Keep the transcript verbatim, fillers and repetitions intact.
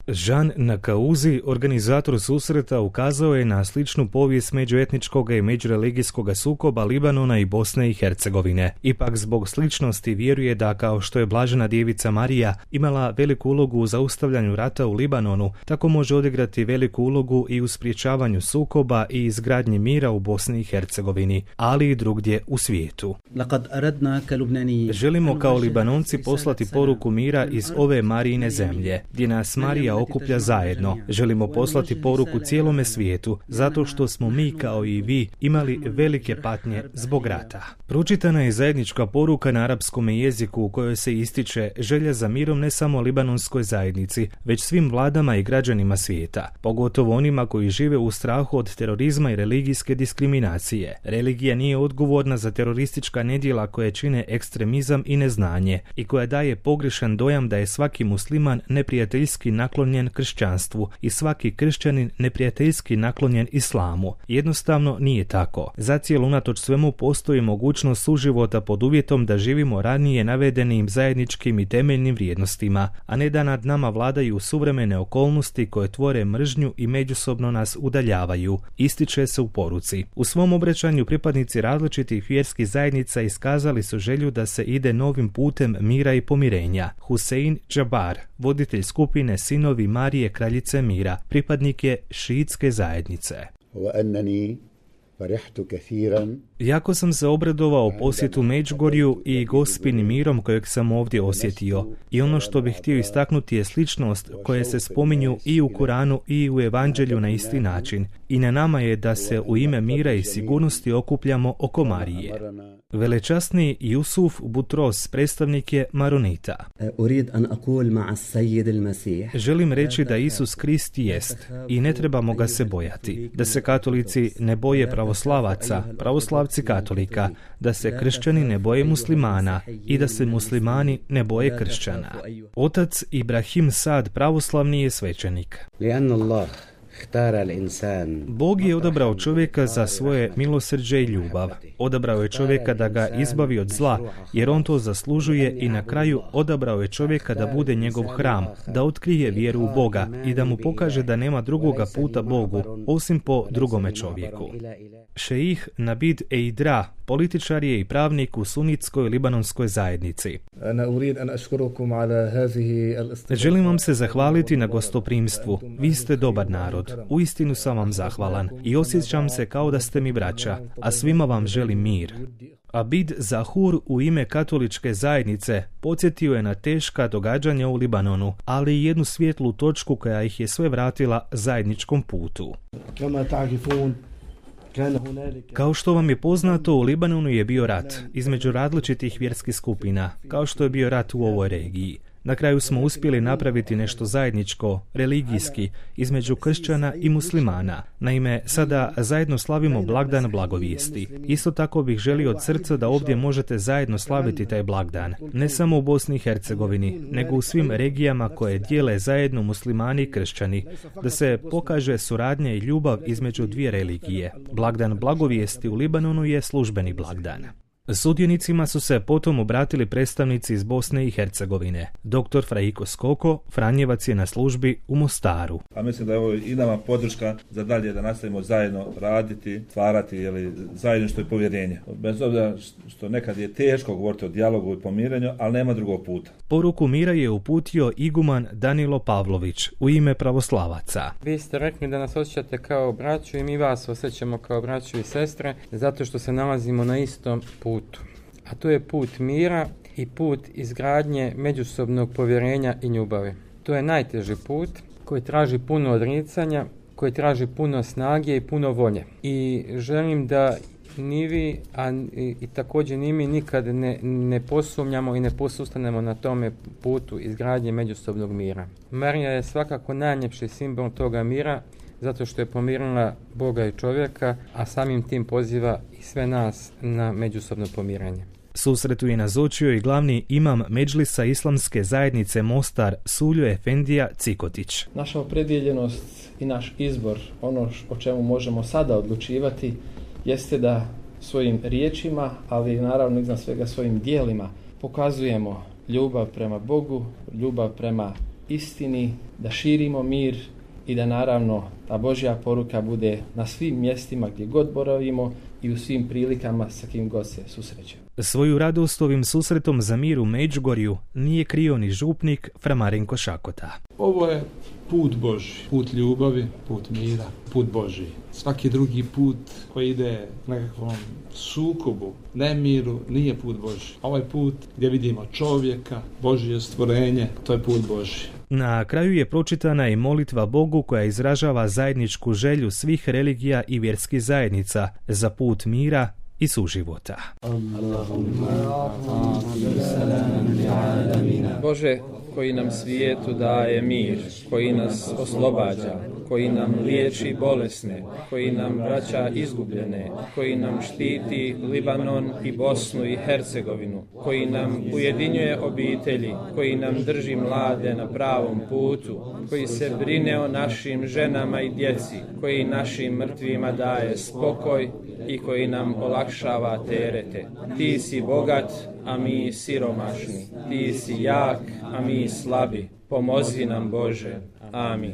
Jean Nakauzi, organizator susreta, ukazao je na sličnu povijest međuetničkog i međureligijskog sukoba Libanona i Bosne i Hercegovine. Ipak zbog sličnosti vjeruje da kao što je Blažena djevica Marija imala veliku ulogu u zaustavljanju rata u Libanonu, tako može odigrati veliku ulogu i u sprječavanju sukoba i izgradnji mira u Bosni i Hercegovini, ali i drugdje u svijetu. Želimo kao Libanonci poslati poruku mira iz ove Marijine zemlje, gdje nas Marija okuplja zajedno. Želimo poslati poruku cijelome svijetu, zato što smo mi kao i vi imali velike patnje zbog rata. Pročitana je zajednička poruka na arapskom jeziku u kojoj se ističe želja za mirom ne samo libanonskoj zajednici, već svim vladama i građanima svijeta, pogotovo onima koji žive u strahu od terorizma i religijske diskriminacije. Religija nije odgovorna za teroristička nedjela koje čine ekstremizam i neznanje i koja daje pogrešan dojam da je svaki musliman neprijateljski naklonjen kršćanstvu i svaki kršćanin neprijateljski naklonjen islamu. Jednostavno nije tako. Zacijelo unatoč svemu postoji mogućnost suživota pod uvjetom da živimo ranije navedenim zajedničkim i temeljnim vrijednostima, a ne da nad nama vladaju suvremene okolnosti koje tvore mržnju i međusobno nas udaljavaju, ističe se u poruci. U svom obraćanju pripadnici različitih vjerskih zajednica iskazali su želju da se ide novim putem mira i pomirenja. Husein Džabar, voditelj skupine Sinovi Marije Kraljice mira, pripadnik je šiitske zajednice. Jako sam se obradovao posjetu Međugorju i Gospinim mirom kojeg sam ovdje osjetio. I ono što bih htio istaknuti je sličnost koje se spominju i u Kuranu i u Evanđelju na isti način. I na nama je da se u ime mira i sigurnosti okupljamo oko Marije. Velečasni Jusuf Butros, predstavnik je Maronita. Želim reći da Isus Krist jest i ne trebamo ga se bojati. Da se katolici ne boje pravoslavaca, pravoslavci katolika, da se kršćani ne boje muslimana i da se muslimani ne boje kršćana. Otac Ibrahim Sad pravoslavni je svećenik. Bog je odabrao čovjeka za svoje milosrđe i ljubav. Odabrao je čovjeka da ga izbavi od zla, jer on to zaslužuje, i na kraju odabrao je čovjeka da bude njegov hram, da otkrije vjeru u Boga i da mu pokaže da nema drugoga puta Bogu, osim po drugome čovjeku. Šejih Nabid Eidra, političar je i pravnik u sunitskoj libanonskoj zajednici. Želim vam se zahvaliti na gostoprimstvu. Vi ste dobar narod. Uistinu sam vam zahvalan i osjećam se kao da ste mi braća, a svima vam želim mir. Abid Zahur u ime katoličke zajednice podsjetio je na teška događanja u Libanonu, ali i jednu svijetlu točku koja ih je sve vratila zajedničkom putu. Kao što vam je poznato, u Libanonu je bio rat između različitih vjerskih skupina, kao što je bio rat u ovoj regiji. Na kraju smo uspjeli napraviti nešto zajedničko, religijski, između kršćana i muslimana. Naime, sada zajedno slavimo blagdan blagovijesti. Isto tako bih želio od srca da ovdje možete zajedno slaviti taj blagdan. Ne samo u Bosni i Hercegovini, nego u svim regijama koje dijele zajedno muslimani i kršćani. Da se pokaže suradnja i ljubav između dvije religije. Blagdan blagovijesti u Libanonu je službeni blagdan. Sudionicima su se potom obratili predstavnici iz Bosne i Hercegovine. doktor Frajko Skoko, Franjevac, je na službi u Mostaru. A mislim da je ovo i nama podrška za dalje da nastavimo zajedno raditi, stvarati, jeli, zajedništvo i povjerenje. Bez obzira što nekad je teško govoriti o dijalogu i pomirenju, ali nema drugog puta. Poruku mira je uputio iguman Danilo Pavlović u ime pravoslavaca. Vi ste rekli da nas osjećate kao braću i mi vas osjećamo kao braću i sestre, zato što se nalazimo na istom putu. A to je put mira i put izgradnje međusobnog povjerenja i ljubavi. To je najteži put koji traži puno odricanja, koji traži puno snage i puno volje. I želim da ni vi, a i, i također ni mi nikad ne, ne posumnjamo i ne posustanemo na tome putu izgradnje međusobnog mira. Marija je svakako najljepši simbol toga mira, zato što je pomirila Boga i čovjeka, a samim tim poziva i sve nas na međusobno pomiranje. Susretu je nazočio i glavni imam Medžlisa Islamske zajednice Mostar Suljo Efendija Cikotić. Naša opredjeljenost i naš izbor, ono o čemu možemo sada odlučivati, jeste da svojim riječima, ali naravno iznad svega svojim djelima, pokazujemo ljubav prema Bogu, ljubav prema istini, da širimo mir i da naravno ta Božja poruka bude na svim mjestima gdje god boravimo i u svim prilikama sa kim god se susrećemo. Svoju radost ovim susretom za mir u Međugorju nije krio ni župnik Fra Marinko Šakota. Ovo je put Božji, put ljubavi, put mira, put Božji. Svaki drugi put koji ide nekakvom sukobu, nemiru, nije put Božji. Ovaj put gdje vidimo čovjeka, Božje stvorenje, to je put Božji. Na kraju je pročitana i molitva Bogu koja izražava zajedničku želju svih religija i vjerskih zajednica za put mira i suživota. Bože, koji nam svijetu daje mir, koji nas oslobađa, koji nam liječi bolesne, koji nam vraća izgubljene, koji nam štiti Libanon i Bosnu i Hercegovinu, koji nam ujedinjuje obitelji, koji nam drži mlade na pravom putu, koji se brine o našim ženama i djeci, koji našim mrtvima daje spokoj i koji nam olakšava terete. Ti si bogat, a mi siromašni. Ti si jak, a mi slabi. Pomozi nam, Bože. Amin.